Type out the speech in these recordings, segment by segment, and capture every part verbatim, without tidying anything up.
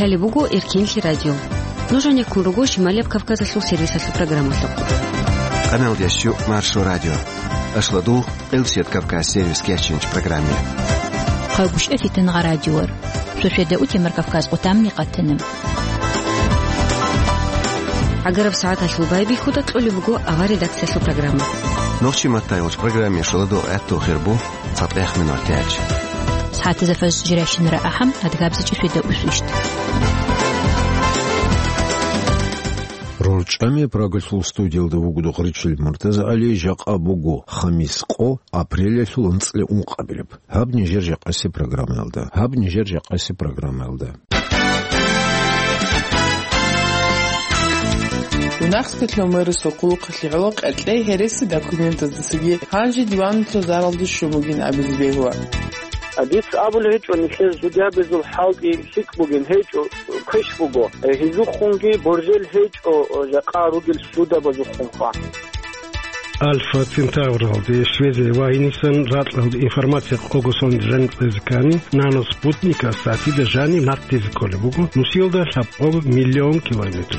Гьале буго Эркенлъи радио. Нуж гьанеккун руго Шималияб Кавказалъул сервисалъул программалъухъ. Къаналдеш жо Маршо радио. Ашладул, Къилсият Кавказ сервис кечинч программе. Хъавгуш эфитан гъа радиор. Шошеда утемар Кавказ къутамни къатана. Агараб сагӀаталъул байбихьуда кьолеб буго авар редакциялъул программа. Нохчи маттайгъуч программе шоладо гӀатту хирбу. Цадахъ минутач. СагӀатазда фаз жирайщинара ахӀам, адгабзичӀи фида усвищт. РорчӀами Прагалъул студиялда вугода Гъричил МуртазагӀали, жакъа буго хамис къо, апрелалъул анцӀила ункъабилеб. Гьаб нижер жакъаси программаялда. Гьаб нижер жакъаси программаялда. Мунагьскалъул мэрисул хъулухъалъе гӀоло къеркьей гьереси документаздасаги гьанже диванлъул заралде щун бугин абизе бегьула. Дица абулеб гьечӀо, нилъер судьябазул хӀалтӀи лъикӀ бугин гьечӀо, квеш буго. Гьезухъунги боржел гьечӀо, жакъа ругел судабазухъунха. Альфа Центавралде, Швеция ва гьенисан ракьалде информация къого сонде жаниб кьезе ккани, нано-спутникас сагӀатида жаниб нахъ тезе кколеб буго, нусиялда лъабкъого миллион километр.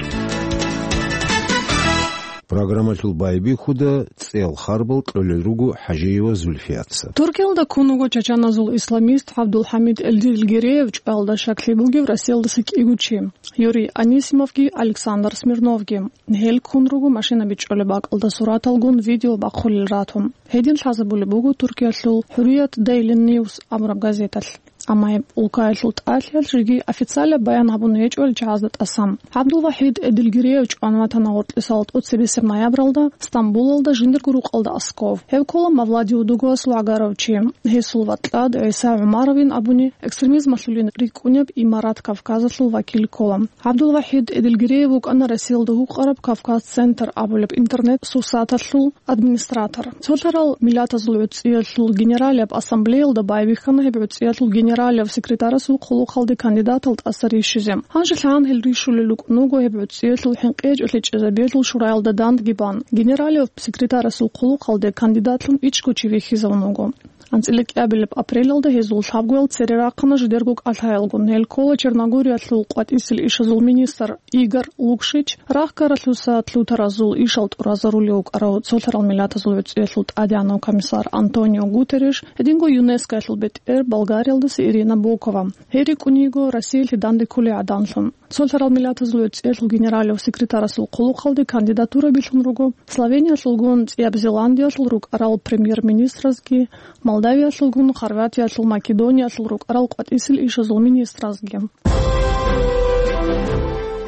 Программалъул байбихьуда цӀел харбал кьолел руго ХӀажиева Зульфиятца. Туркиялда ккун вуго чачаназул исламист ГӀабдулхӀамид Элдилгириев чӀваялда щаклъи бугев Россиялдаса кӀиго чи. Юрий Анисимовги Александр Смирновги. Гьел ккун руго машина бичӀчӀулеб бакӀалда сураталгун видео бахъулел ратун. Гьедин лъазабулеб буго Туркиялъул ХӀурият Дейлин Ньюс абураб газеталъ. Амма гьеб улкаялъул тӀалъиялъ жеги официалаб баян гьабун гьечӀо ил чагӀазда тӀасан. ГӀабдулвахӀид Эдилгириев чӀван ватана гъоркьисал тӀоцебесеб ноябралда Стамбулалда жиндирго рукъалда асков. Гьев ккола Мавлади Удугуасул гӀагарав чи. Гьесул ватӀлад ГӀиса ГӀумаровин абуни экстремизмалъулин рикӀкӀунеб имарат Кавказалъул вакил ккола. ГӀабдулвахӀид Эдилгириев вукӀана Россиялда гьукъараб Кавказ-центр абулеб интернет-сурсаталъул администратор. Цолъарал Миллатазул ГӀуцӀиялъул Генералияб Ассамблеялда байбихьана гьеб гӀуцӀиялъул генералияб секретарасул хъулухъалде кандидатал тӀаса рищизе. Гьанже лъагӀан гьел рищулел рукӀун руго гьеб гӀуцӀиялъул хӀинкъи гьечӀолъи чӀезабиялъул шураялда дандги бан. Генералияб секретарасул хъулухъалде кандидатлъун ичӀго чи вихьизавун вуго. АнцӀила кӀиабилеб апрелалда гьезул лъабгоял цере рахъана жидерго кӀалъаялгун. Гьел ккола Черногориялъул къватӀисел ишазул министр Игор Лукшич, рахьгаралъуса лъутаразул ишал тӀуразарулев вукӀарав Цолъарал Миллатазул ГӀуцӀиялъул ТӀадегӀанав комиссар Антонио Гутерреш, гьединго ЮНЕСКОялъул бетӀер Болгариялдаса Ирина Бокова. Гьел рикӀкӀун йиго Россиялъе данде кколей гӀаданлъун. Цолъарал Миллатазул ГӀуцӀиялъул генералияб секретарасул хъулухъалде кандидатура билълъун руго Словениялъулгун, ЦӀияб Зеландиялъул рукӀарал премьер-министразги, Молдавиялъулгун, Хорватиялъул, Македониялъул рукӀарал къватӀисел ишазул министразги.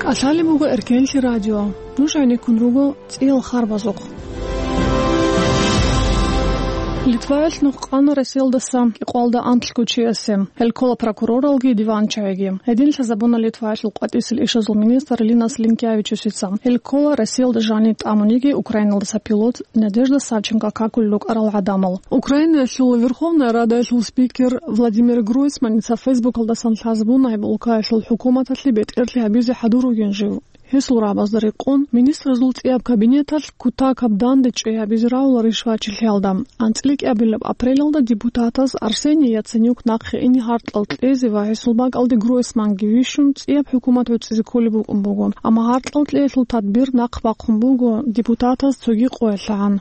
КӀалъалеб буго Эркенлъи радио. Нуж гӀенеккун руго цӀиял харбазухъ. Литваялъ нух къана Россиялдаса кӀикъоялда анлъго чиясе. Гьел ккола прокуроралги диванчагӀиги. Гьедин лъазабуна Литваялъул къватӀисел ишазул министр Линас Линкевичусица. Гьел ккола Россиялда жаниб тӀамун йиги Украиналдаса пилот Надежда Савченко какулел рукӀарал гӀадамал. Украинаялъул Верховная Радаялъул спикер Владимир Гройсманица Фейсбукалдасан лъазабуна гьеб улкаялъул хӀукуматалъе бетӀерлъи гьабизе хӀадур ругин жив. Гьесул рагӀабазда рекъон, министразул цӀияб кабинеталъ кутакаб данде чӀей гьабизе равуларищ вачилъиялда. АнцӀила кӀиабилеб апрелалда депутатаз Арсений Яценюк нахъе ине гьаркьал кьезе ва гьесул бакӀалде Гройсманги вищун цӀияб хӀукумат гӀуцӀизе кколеб букӀун буго. Амма гьаркьал кьеялъул тадбир нахъ бахъун буго, депутатаз цоги къоялъ гӀан.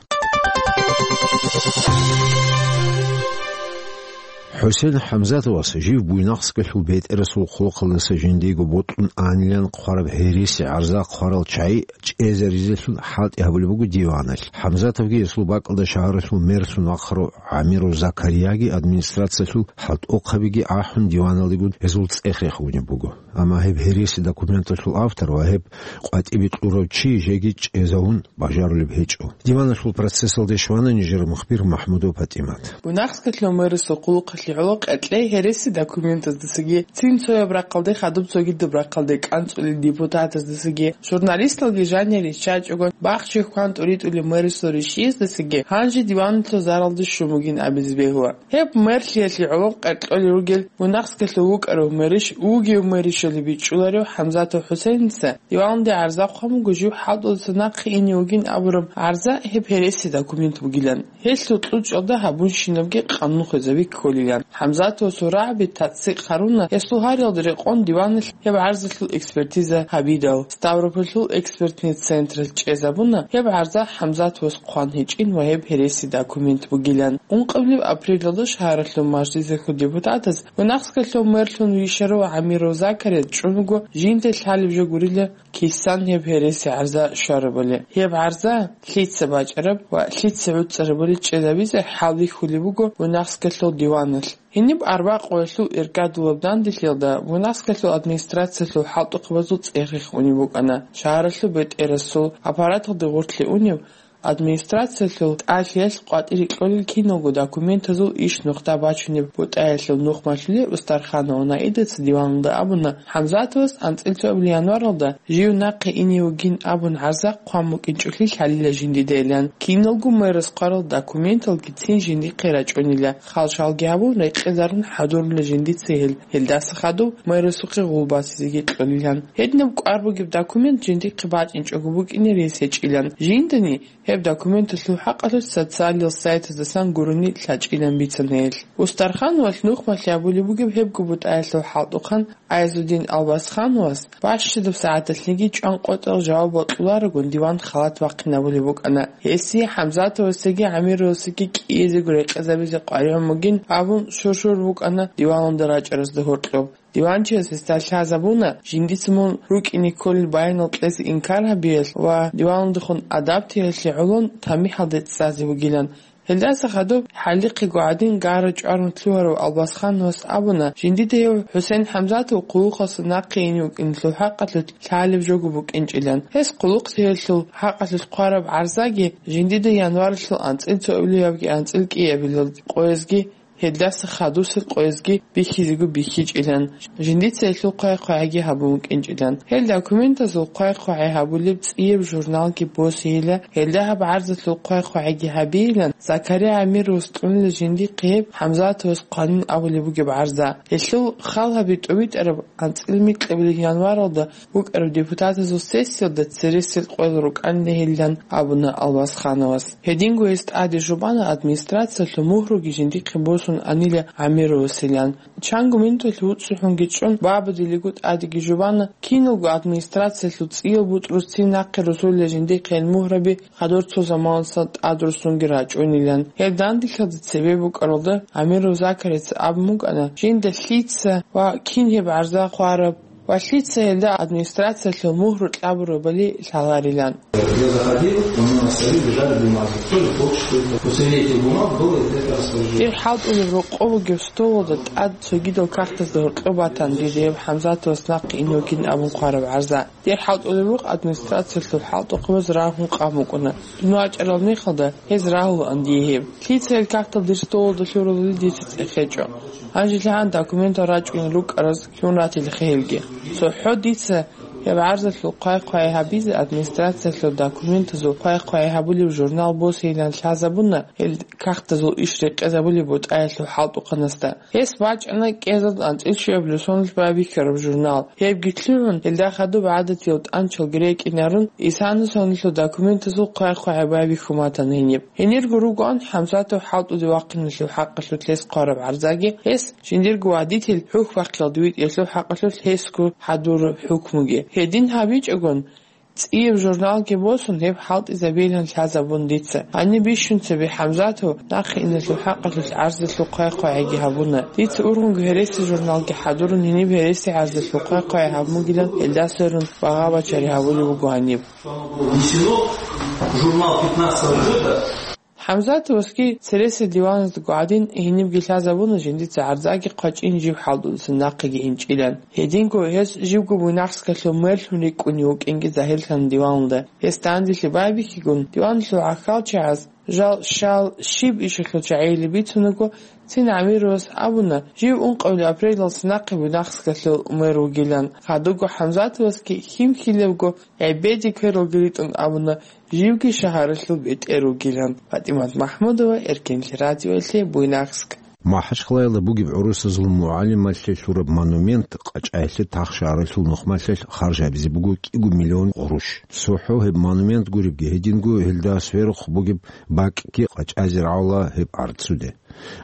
ХӀусен ХӀамзатовас жив Буйнакскалъул бетӀерасул хъулухъалдаса жиндиего бокьун анилан хъвараб гьереси гӀарза хъварал чагӀи чӀезаризелъул хӀалтӀи гьабулеб буго диваналъ. ХӀамзатовги гьесул бакӀалда шагьаралъул мерлъун вахъарав ГӀамиров Закарияги администрациялъул хӀалтӀухъабиги ахӀун диваналдегун гьезул цӀех рехунеб буго. Амма гьеб гьереси документалъул автор ва гьеб къватӀибе кьурав чи жеги чӀезавун бажарулеб гьечӀо. Диваналъул процессалде щвана нижер мухбир МахӀмудов ПатӀимат. Буйнакскалъул мэрисул хъулухъалъе гӀоло къеркьей гьереси документаздасаги, цин цояб рахъалде хадуб цогидаб рахъалде кӀанцӀулел депутатаздасаги, журналисталги жанир риччачӀого, бахчи хьван тӀуритӀулеб мэрисул ришияздасаги гьанже диваналъул заралде щун бугин абизе бегьула. Гьеб мерлъиялъе гӀоло къеркьолел ругел Буйнакскалъул вукӀарав мэриш, вугев мэришалъе бичӀчӀуларев ХӀамзатов ХӀусейница диваналде гӀарза хъван буго жив хӀалтӀудаса нахъе ине вугин абураб гӀарза гьеб гьереси документ бугилан, гьелъул кьучӀалда гьабунщинабги къанун хвезаби кколилан. ХӀамзатовасул рагӀаби тацӀцӀикъ гьаруна гьесул гьариялда рекъон диваналъ гьеб гӀарзалъул экспертиза гьабидал. Ставропольлъул экспертный централъ чӀезабуна гьеб гӀарза ХӀамзатовас хъван гьечӀин ва гьеб гьереси документ бугилан. Ункъабилеб апрелалда шагьаралъул мажлисалъул депутатаз Буйнакскалъул мэрлъун вищарав Амиров Закарияс чӀун вуго жинда лъалеб жо гурила кисан гьеб гьереси гӀарза щварабали. Гьеб гӀарза лъица бачӀараб ва лъица гӀуцӀарабали чӀезабизе хӀал бихьулеб буго Буйнакскалъул диваналъ. Гьениб арбякъуялъул иргадулаб данделъиялда Буйнакскалъул администрациялъул хӀалтӀухъабазул цӀех-рех унеб букӀана. Шагьаралъул бетӀерасул аппараталде гъорлъе унеб администрациялъул тӀалъиялъ къватӀире кьолел киналго документазул иш нухда бачунеб бутӀаялъул нухмалъулел Устарханова Наидаца диваналда абуна, ХӀамзатовас анцӀила цоабилеб январалда жив нахъе ине вугин абун гӀарза хъван букӀинчӀолъи лъалила жиндидайилан. Киналго мэрас хъварал документалгицин жиндихъе рачӀунила, хал-шалги гьабун, рекъезарун хӀадурула жиндица гьел. Гьелдаса хадуб мэрасухъе гъул басизеги кьолилан. Гьединаб кӀвар бугеб документ жиндихъе бачӀинчӀого букӀине рес гьечӀилан. Жиндани гьеб документалъул хӀакъалъулъ социалил сайтаздасан гурони лъачӀилан бицана гьел. Устархановалъ нухмалъи абулеб бугеб гьебго бутӀаялъул хӀалтӀухъан Айзудин Албасхановас бащадаб сагӀаталъеги чӀван къотӀал жаваб бокьуларогун диван халат бахъинабулеб букӀана. Гьесие ХӀамзатовасдаги ГӀамировасдаги кӀиязего рекъезабизе къваригӀун бугин абун шуршур букӀана диваналда рачӀаразда гьоркьоб. Диванчияс гьесда лъазабуна, жиндица мун рукӀине кколел баянал кьезе инкар гьабиялъ ва диваналдехун адаб тейялъе гӀолон тамихӀалде цӀцӀазе вугилан. Гьелдаса хадуб хӀалихъего гӀадин гара чӀварун лъугьарав Албасхановас абуна, жиндида гьев ХӀусен ХӀамзатов хъулухъалъа нахъе ине вукӀиналъул хӀакъалъулъ лъалеб жого букӀинчӀилан. Гьес хъулухъ тейялъул хӀакъалъулъ хъвараб гӀарзаги жиндида январалъул анцӀила цоабилеб ябги анцӀила кӀиабилеб къоязги гьелдаса хадусел къоязги бихьизего бихьичӀилан, жиндица гьелъул хъвай-хъвагӀиги гьабун вукӀинчӀилан. Гьел документазул хъвай-хъвагӀи гьабулеб цӀияб журналги босейила, гьелда гьаб гӀарзалъул хъвай-хъвагӀиги гьабейилан, Закария Амировас кьунила жиндихъе гьеб ХӀамзатовас хъванин абулеб бугеб гӀарза. Гьелъул хал гьаби тӀубитӀараб анцӀила микьабилеб январалда букӀараб депутатазул сессиялда цересел къоял рукӀанила гьелилан абуна Албасхановас. Гьединго гьес тӀаде жубана администрациялъул мугьруги жиндихъе босун анила ГӀамировасилан. Чанго минуталъ вуцӀцӀухӀунги чӀун, бабадилиго тӀадеги жубана, киналго администрациялъул цӀиял бутӀрузцин нахъе росулила жиндихъе гьел мугьраби хадур цо заманалдаса тӀадруссунги рачӀунилан. Гьеб данделъиялда цебе букӀаралда, Амиров Закарица абун букӀана, жинда лъица ва кин гьеб гӀарза хъвараб ва лъица гьелда администрациялъул мугьру кьабурабали лъаларилан. Я заходил, у меня на столе лежали бумаги. Кто же хочет, что это? После этих бумаг было это распоряжение. Дир хӀалтӀулеб рокъоб бугеб столалда тӀад цогидал кагътазда гьоркьоб батана дир гьеб ХӀамзатовас нахъе ине вугин абун хъвараб гӀарза. Дир хӀалтӀулеб рукъ администрациялъул хӀалтӀухъабаз рагьун къан букӀуна. Дун вачӀарал мехалда гьез рагьулаан дие гьеб. Лъица гьел кагътал дир столалда лъуралали дица цӀехечӀо. Гьанже лъагӀан документал рачӀунел рукӀараз лъун ратилаха гьелги. ЦохӀо дица гьеб гӀарзалъул хъвай-хъвай гьабизе администрациялъул документазул хъвай-хъвай гьабулеб журнал босейилан лъазабуна гьел кагътазул иш рекъезабулеб бутӀаялъул хӀалтӀухъанасда. Гьес бачӀана кӀезал анцӀила щуабилеб соналъ байбихьараб журнал. Гьебги лъугӀун, гьелда хадуб гӀадатиял тӀанчалги рекӀинарун, исана соналъул документазул хъвай-хъвай байбихьун батана гьениб. Гьенирго ругоан ХӀамзатов хӀалтӀуде вахъиналъул хӀакъалъулъ гьес хъвараб гӀарзаги, гьес жиндирго водитель хӀухьбахъиялда витӀиялъул хӀакъалъулъ гьесго хӀадураб хӀукмуги. Гьедин гьабичӀогон, цӀияб журналги босун, гьеб хӀалтӀизабейилан лъазабун дица. Гьаниб бищун цебе ХӀамзатов нахъе иналъул хӀакъалъулъ гӀарзалъул хъвай-хъвагӀиги гьабуна. Дица ургъунго гьереси журналги хӀадурун, гьениб гьереси гӀарзалъул хъвай-хъвагӀи гьабун бугилан, гьелдаса гьарун багъа-бачари гьабулеб буго гьаниб. Внесено в журнал пятнадцатого года. ХӀамзатовасги цересел диваназдаго гӀадин, гьенибги лъазабуна жиндица гӀарзаги хъвачӀин жив хӀалтӀудасан нахъеги инчӀилан. Гьединго гьес живго Буйнакскалъул мерлъун рикӀкӀунев вукӀинги загьирлъана диваналда. Гьес данделъи байбихьигун, диваналъул гӀахьалчагӀаз жал щал щиб ишалъул чагӀиялъе бицунаго, цин ГӀамировас абуна, жив ункъабилеб апрелалдаса нахъе Буйнакскалъул мэр вугилан. Гьадуго ХӀамзатовасги хьим-хьилебго гӀебеде квералги ритӀун абуна, живги шагьаралъул бетӀер вугилан. ПатӀимат МахӀмудова, Эркенлъи радиоялъе, Буйнакск. МахӀачхъалаялда бугеб гӀурусазул мугӀалималъе лъураб монумент КъачӀаялъе тахшагьаралъул нухмалъалъ харжабизе буго кӀиго миллион къуруш. ЦохӀо гьеб монумент гуребги, гьединго гьелда сверухъ бугеб бакӀги къачӀазе рагӀула гьеб гӀарцуде.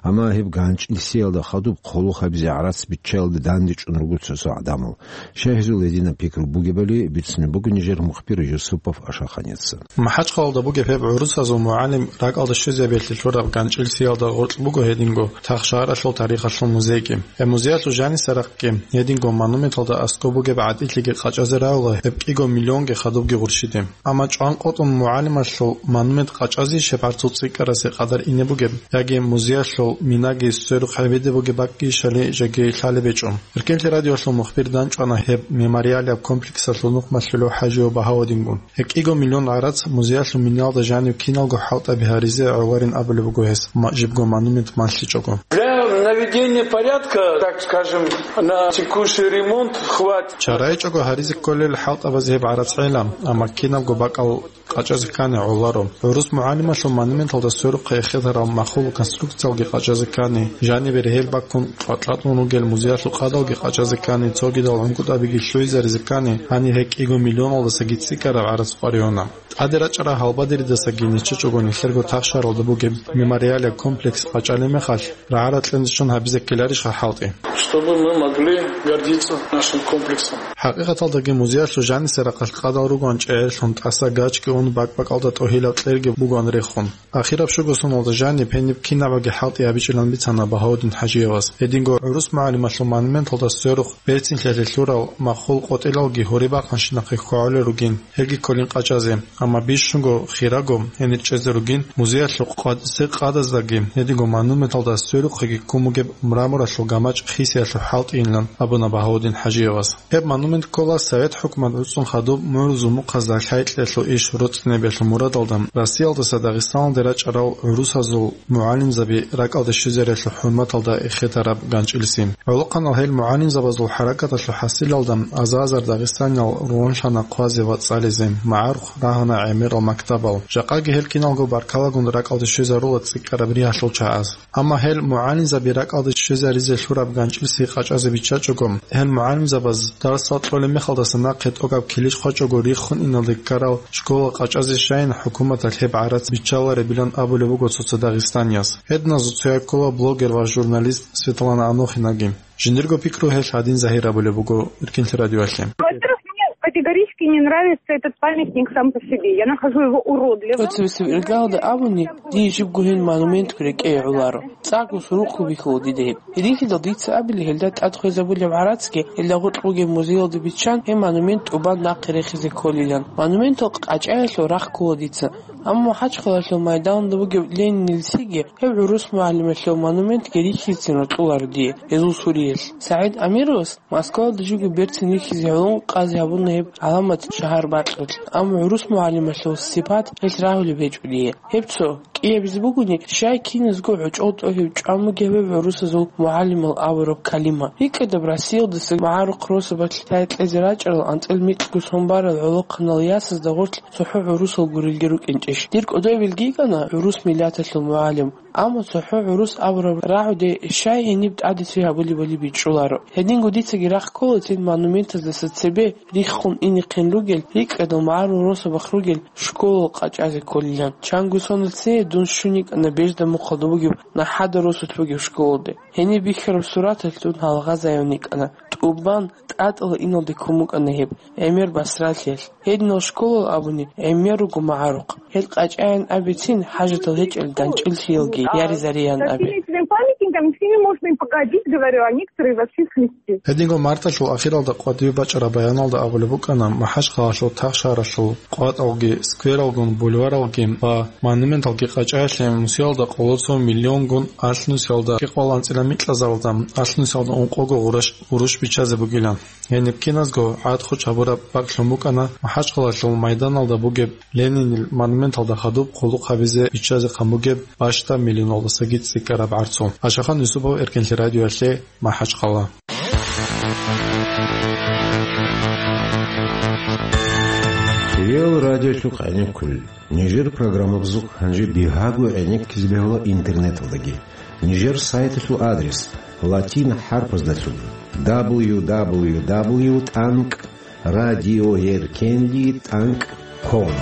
Амма гьеб ганчӀилсиялда хадуб хъулухъ гьабизе гӀарац биччаялде дандечӀун руго цо-цо гӀадамал. Щай гьезул гьединаб пикру бугебали бицунеб буго нижер мухбир Юсупов Ашаханица. МахӀачхъалалда бугеб гьеб гӀурусазул мугӀалим ракӀалде щвезабиялъе лъураб ганчӀилсиялда гъоркь буго гьединго Тахшагьаралъул тарихалъул музейги. Гьеб музеялъул жанисарахъги гьединго монументалда аскӀоб бугеб гӀатӀилъиги къачӀазе рагӀула гьеб кӀиго миллионги хадубги гъурщиде. Амма чӀван къотӀун мугӀалималъул монумент къачӀазе щиб гӀарцул цӀикӀкӀарасе къадар ине бугеб, яги музеялъул минаги сверухъ гьабизе бугеб бакӀги щали жеги лъалеб гьечӀо. Эркенлъи радиоялъул мухбир данчӀвана гьеб мемориалияб комплексалъул нухмалъулев ХӀажиев Багьавудингун. Гьеб кӀиго миллион гӀарац музеялъул минаялда жанив киналго хӀалтӀаби гьаризе гӀоларин абулеб буго гьес, ма-, жибго монумент малъичӀого. Для наведения порядка, так скажем, на текущий ремонт хватит. ЧарайчӀого гьаризе кколел хӀалтӀабазе гьеб гӀарац гӀела, амма кинабго бакӀал къачӀазе ккани гӀоларо. ГӀурус мугӀалималъул монументалда сверухъе эхетарал махул конструкциялги къачӀазе ккани, жанибе регьел баккун кьватӀлъатун ругел музеялъул къадалги къачӀазе ккани, цогидал гӀунгутӀабиги лъугӀизаризе ккани, гьанир гьеб кӀиго миллионалдасаги цӀикӀкӀараб гӀарац къваригьуна. ТӀаде рачӀарал гьалбадеридасаги нечечӀого нилъерго Тахшагьаралда бугеб мемориалияб комплекс къачӀалеб мехалъ, рагӀарал кьенцӀичӀун гьабизе ккеларищха хӀалтӀи? Чтобы мы могли гордиться нашим комплексом. ХӀакъикъаталдаги музеялъул жанисарахъалъ къадал ругоан чӀегӀерлъун тӀаса гачги ун бакӀ-бакӀалда тӀогьилаб кьерги бугоан рехун. Ахираб щуго соналда жаниб гьениб кинабаги хӀалтӀи гьабичӀилан бицана Багьаудин ХӀажиевас. Гьединго гӀурус мугӀалималъул монументалда сверухъ берцинлъиялъе лъурал махул къотӀилалги гьорибахъанщинахъе хьвагӀулел ругин, гьелги кколин къачӀазе. Амма бищунго хирабго гьенир чӀезе ругин музеялъул къватӀисе къадаздаги, гьединго монументалда сверухъеги ккун бугеб мраморалъул гамачӀ хисиялъул хӀалтӀийилан абуна Багьаудин ХӀажиевас. Гьеб монумент ккола Совет хӀукумат уцӀцӀун хадуб мугӀрузул мухъазда лъай-кьеялъул иш роцӀцӀинабиялъул мурадалда Россиялдаса Дагъистаналде рачӀарал гӀурусазул мугӀалимзаби ракӀалде щвезариялъул хӀурматалда эхетараб ганчӀилси. ГӀолохъанал гьел мугӀалимзабазул хӀаракаталъул хӀасилалда азар-азар дагъистаниял ругьунлъана хъвазе ва цӀализе, магӀарухъ рагьуна гӀемерал мактабал. Жакъаги гьел киналго баркалагун ракӀалде щвезарула цӀикӀкӀараб ригьалъул чагӀаз. Амма гьел мугӀалимзаби ракӀалде щвезаризе лъураб ганчӀилси къачӀазе биччачӀого, гьел мугӀалимзабаз дарсал кьолеб мехалдаса нахъе тӀокӀаб килищ хъвачӀого риххун иналде ккарал школа къачӀазе щайин хӀукуматалъ гьеб гӀарац биччаларебилан абулеб буго цо-цо дагъистанияс. Гьединазул цояй ккола блогер ва журналист Светлана Анохинаги. Жиндирго пикру гьелъ гьадин загьир абулеб буго Эркенлъи радиоялъе. Во-первых, мне категорически не нравится этот памятник сам по себе. Я нахожу его уродливым. ТӀоцебесеб иргалда абуни, дие жибго гьел монументго рекӀее гӀоларо. ЦӀакъго сурухъ бихьула дида гьеб. Гьединлъидал дица абили, гьелда тӀад хвезабулеб гӀарацги, гьелда гъоркь бугеб музеялда биччан, гьеб монумент тӀубан нахъе рехизе кколилан. Монументал къачӀаялъул рахъ ккола дица. Амма МахӀачхъалалъул майданда бугеб Ленинил лъиги гьеб гӀурус мугӀалималъул монументги рихьизецин рокьуларо дие гьезул суриялъ. СагӀид Амировас Москвалда живго берцин рихьизе гӀоло къазе гьабуна гьеб гӀаламат шагьар бакьулъ. Амма гӀурус мугӀалималъул сипат гьелъ рагьулеб гьечӀо дие. Гьеб цо кӀиабизе бугони, щай киназго гӀочӀол тӀогьиб чӀван бугеб гьеб гӀурусазул мугӀалимал абураб калима. РикӀкӀадаб Россиялдаса магӀарухъ росабалъ лъай-кьезе рачӀарал анцӀил микьго сон барал гӀолохъанал ясазда гъорлъ цохӀо гӀурусал гурелги рукӀинчӀищ? Дир кӀодобилги йикӀана гӀурус миллаталъул мугӀалим. Амма цохӀо гӀурус абураб рагӀуде щай гьениб тӀаде цо гьабулебали бичӀчӀуларо. Гьединго дицаги рахъ кколецин монументаздаса цебе риххун инехъин ругел, рикӀкӀадал магӀарул росабахъ ругел школал къачӀазе кколилан. Чанго соналъ цее дун щун йикӀана Бежда мухъалда бугеб нахӀада росулъ бугеб школалде. Гьениб бихьараб сураталъ дун гьалгъазайун йикӀана. ТӀубан тӀатӀала иналде ккун букӀана гьеб, гӀемер басралъиялъ. Гьединал школал абуни, гӀемер руго магӀарухъ. Гьел къачӀаян абицин, хӀажатал гьечӀел ганчӀил лъиялги яризариян абе. С этими памятниками, с ними можно и походить, говорю, а некоторые вообще снести. Гьединго марталъул ахиралда къватӀибе бачӀараб баяналда абулеб букӀана, МахӀачхъалалъул тахшаралъул къватӀалги, сквералгун бульваралги ва монументалги къачӀаялъе нусиялда къоло цо миллионгун алъ нусиялда кӀикъвал анцӀила микьазаралда алъ нусиялда ункъого гъурущ, гъурущ биччазе бугилан. Гьениб киназго гӀадхъучӀ гьабураб бакӀлъун букӀана МахӀачхъалалъул майданалда бугеб Ленинил монументалда хадуб хъулухъ гьабизе биччазе хъан бугеб бащдаб миллионалдасаги цӀикӀкӀараб гӀарцул. Ашахан Юсупов, Эркенлъи радиоялъе, МахӀачхъала. Реал радиолъухъ гӀенеккулел. Нижер программабазухъ гьанже бигьаго гӀенеккизе бегьула интернеталдаги. Нижер сайталъул адрес латин хӀарпаздалъун: дабл ю дабл ю дабл ю тӀанкӀ радиоэркенлъи тӀанкӀ ком.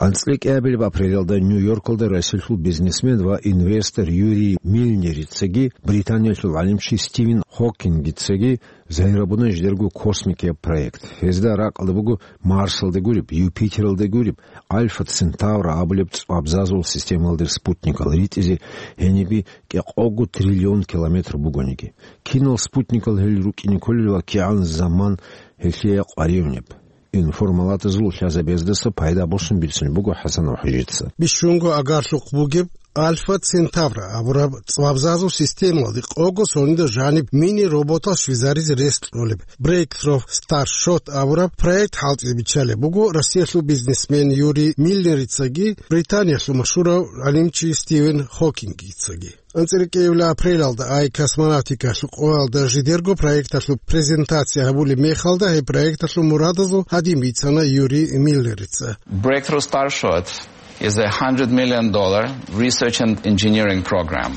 АнцӀила кӀиабилеб апрелалда Нью-Йоркалда Россиялъул бизнесмен ва инвестор Юрий Мильнерицаги Британиялъул гӀалимчи Стивен Хокингицаги загьирабуна жидерго космикияб проект. Гьезда ракӀалда буго Марсалде гуреб, Юпитералде гуреб, Альфа Центавра абулеб цӀвабзазул системалде спутникал ритӀизе гьенибе кӀикъого триллион километр бугониги. Кинал спутникал гьел рукӀине кколел ва кигӀан заман гьелъие къваригӀунеб? Информалатазул лъазабаздаса пайда босун бицунеб буго ХӀасанов ХӀажица. Бищунго агарлъухъ бугеб Альфа Центавра абураб цӀвабзазул системалде къого сонида жаниб мини-роботал щвезаризе рес кьолеб Breakthrough Starshot абураб проект хӀалтӀизе биччалеб буго Россиялъул бизнесмен Юрий Мильнерицаги Британиялъул машгьурав гӀалимчи Стивен Хокингицаги. АнцӀила кӀиабилеб апрелалда ай космонавтикалъул къоялда жидерго проекталъул презентация гьабулеб мехалда гьеб проекталъул мурадазул гьадин бицана Юрий Миллерица. Breakthrough Starshot is a hundred million dollar research and engineering program.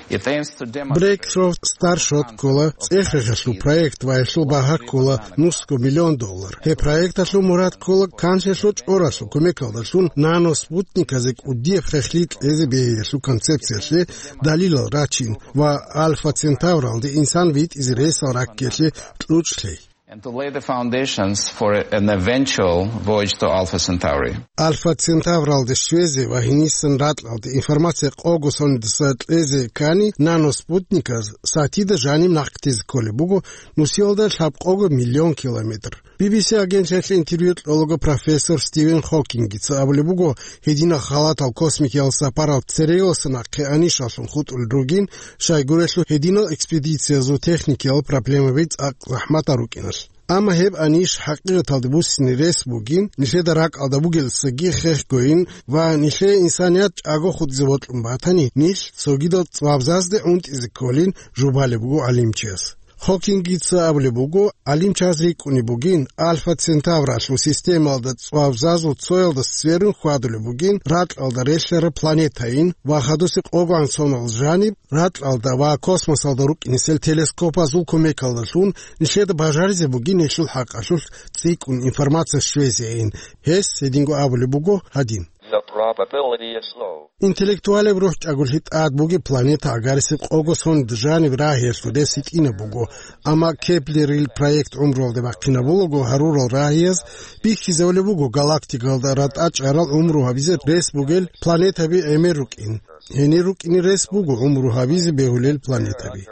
It aims to demonstrate Breakthrough Starshot ккола цӀех-рехалъул проект ва гьелъул багьа ккола нусго миллион доллар. Гьеб проекталъул мурад ккола канлъиялъул чӀоралъул кумекалдалъун наноспутниказе кӀудияб хехлъи кьезе бегьиялъул концепциялъе далилал рачин ва Альфа Центавралде инсан витӀизе ресал раккиялъе кьучӀ лъей. And to lay the foundations for an eventual voyage to Alpha Centauri. Альфа Центавралде щвезе ва гьенисан ракьалде информация къого сонидаса кьезе ккани, наноспутниказ сатида жаниб нахътезе кколеб буго нусиялда лъабкъого миллион километр. Би би си агенталъе интервью кьолаго профессор Стивен Хокингица абулеб буго, гьединал халатал космикиял сапарал цереялдаса нахъе анишалъун хутӀулел ругин, щайгурелъул гьединал экспедициязул техникиял проблемаби цӀакъ захӀматал рукӀиналъ. Амма гьеб аниш хӀакъикъаталде буссине рес бугин, нилъеда ракӀалда бугелдасаги хехгойин ва нилъее инсаният чӀаго хутӀизе бокьун батани, нилъ цогидал цӀвабзазде унтӀизе кколин жубалеб буго гӀалимчияс. Хокингица абулеб буго, гӀалимчияз рикӀкӀунеб бугин, Альфа Центавралъул системалда цӀвабзазул цоялдаса сверун хьвадулеб бугин ракьалда релълъараб планетайин ва хадусе къогоан сонал жаниб ракьалда ва космосалда рукӀинесел телескопазул кумекалдалъун нилъеда бажаризе бугин гьелъул хӀакъалъулъ цӀикӀкӀун информация щвезейин. Гьес гьединго абулеб буго гьадин. The probability is low. Интеллектуалеб рухӀ чӀаголъи тӀад бугеб планета гьагарисеб къого сонида жаниб рагьиялъул рес гьитӀинаб буго, амма Кеплерил проект гӀумруялде бахъинабулаго гьарурал рагьияз бихьизабулеб буго галактикалда ратӀа чӀарал гӀумру гьабизе рес бугел планетаби гӀемер рукӀин. Гьенир рукӀине рес буго гӀумру гьабизе бегьулел планетаби.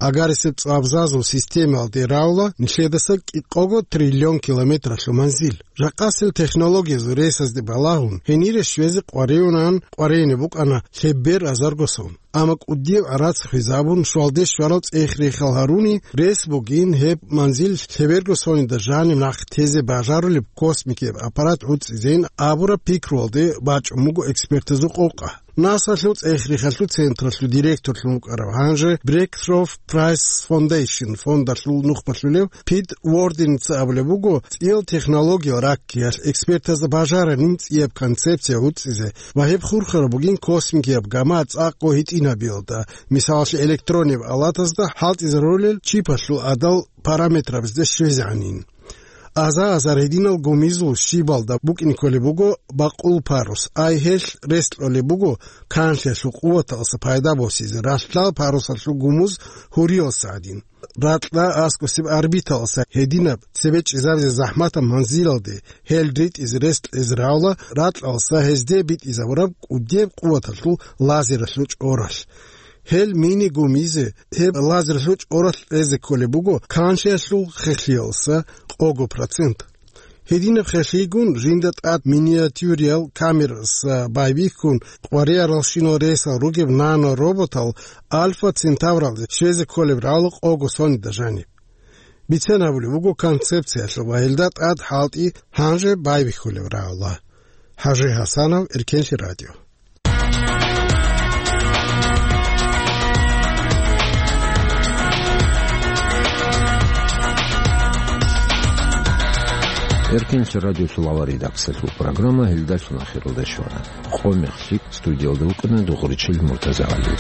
Гьагарисеб цӀвабзазул системалде равла нилъедаса кӀикъого триллион километралъул манзил. Жакъасел технологиязул ресазде балагьун, гьенире щвезе къваригӀунан къваригӀине букӀана лъебер азарго сон. Амма кӀудияб гӀарац хвезабун, щвалде щварал цӀех-рехал гьаруни, рес бугин гьеб манзил лъеберго сонида жаниб нахъ тезе бажарулеб космикияб аппарат гӀуцӀизейин абураб пикруялде бачӀун буго экспертазул къокъа. НАСАлъул цӀех-рехалъул централъул директорлъун вукӀарав, гьанже Breakthrough Prize Foundation фондалъул нухбалъулев Пит Уорденица абулеб буго, цӀиял технологиял раккиялъ экспертазда бажараб цӀияб концепция гӀуцӀизе ва гьеб хурхараб бугин космикияб гама цӀакъго гьитӀинабиялда, мисалалъе, электрониб алатазда хӀалтӀизарулел чипалъул гӀадал параметрабазде щвезегӀанин. Аза-азар гьединал гумизул щибалда букӀине кколеб буго бакъул парус, ай гьелъ рес кьолеб буго канлъиялъул къуваталъа пайда босизе ралъдал парусалъул гумуз гьуриялса гӀадин. Ракьа аскӀосеб орбиталъа гьединаб цебе чӀезабизе захӀматаб манзилалде гьел ритӀизе рес кьезе равла, ракьалъа гьезде битӀизабураб кӀудияб къуваталъул лазералъул чӀоралъ. Гьел мини гумизе, гьеб лазералъул чӀоралъ кьезе кколеб буго канлъиялъул хехлъиялса къого процент. Гьединаб хехлъигун жинда тӀад миниатюриял камераса байбихьун къваригӀаралщинал ресал ругеб нано-роботал Альфа Центавралде щвезе кколеб равла къого сонида жаниб. Бицен абулеб буго концепциялъул ва гьелда тӀад хӀалтӀи гьанже байбихьулеб равла. ХӀажи ХӀасанов, Эркенлъи радио. Эркенлъи радиолъул авария даксалъул программа гьелдалъун ахиралда щвана. Къо мехлъи студиялда вукӀана дугъуричил Муртаза ГӀали.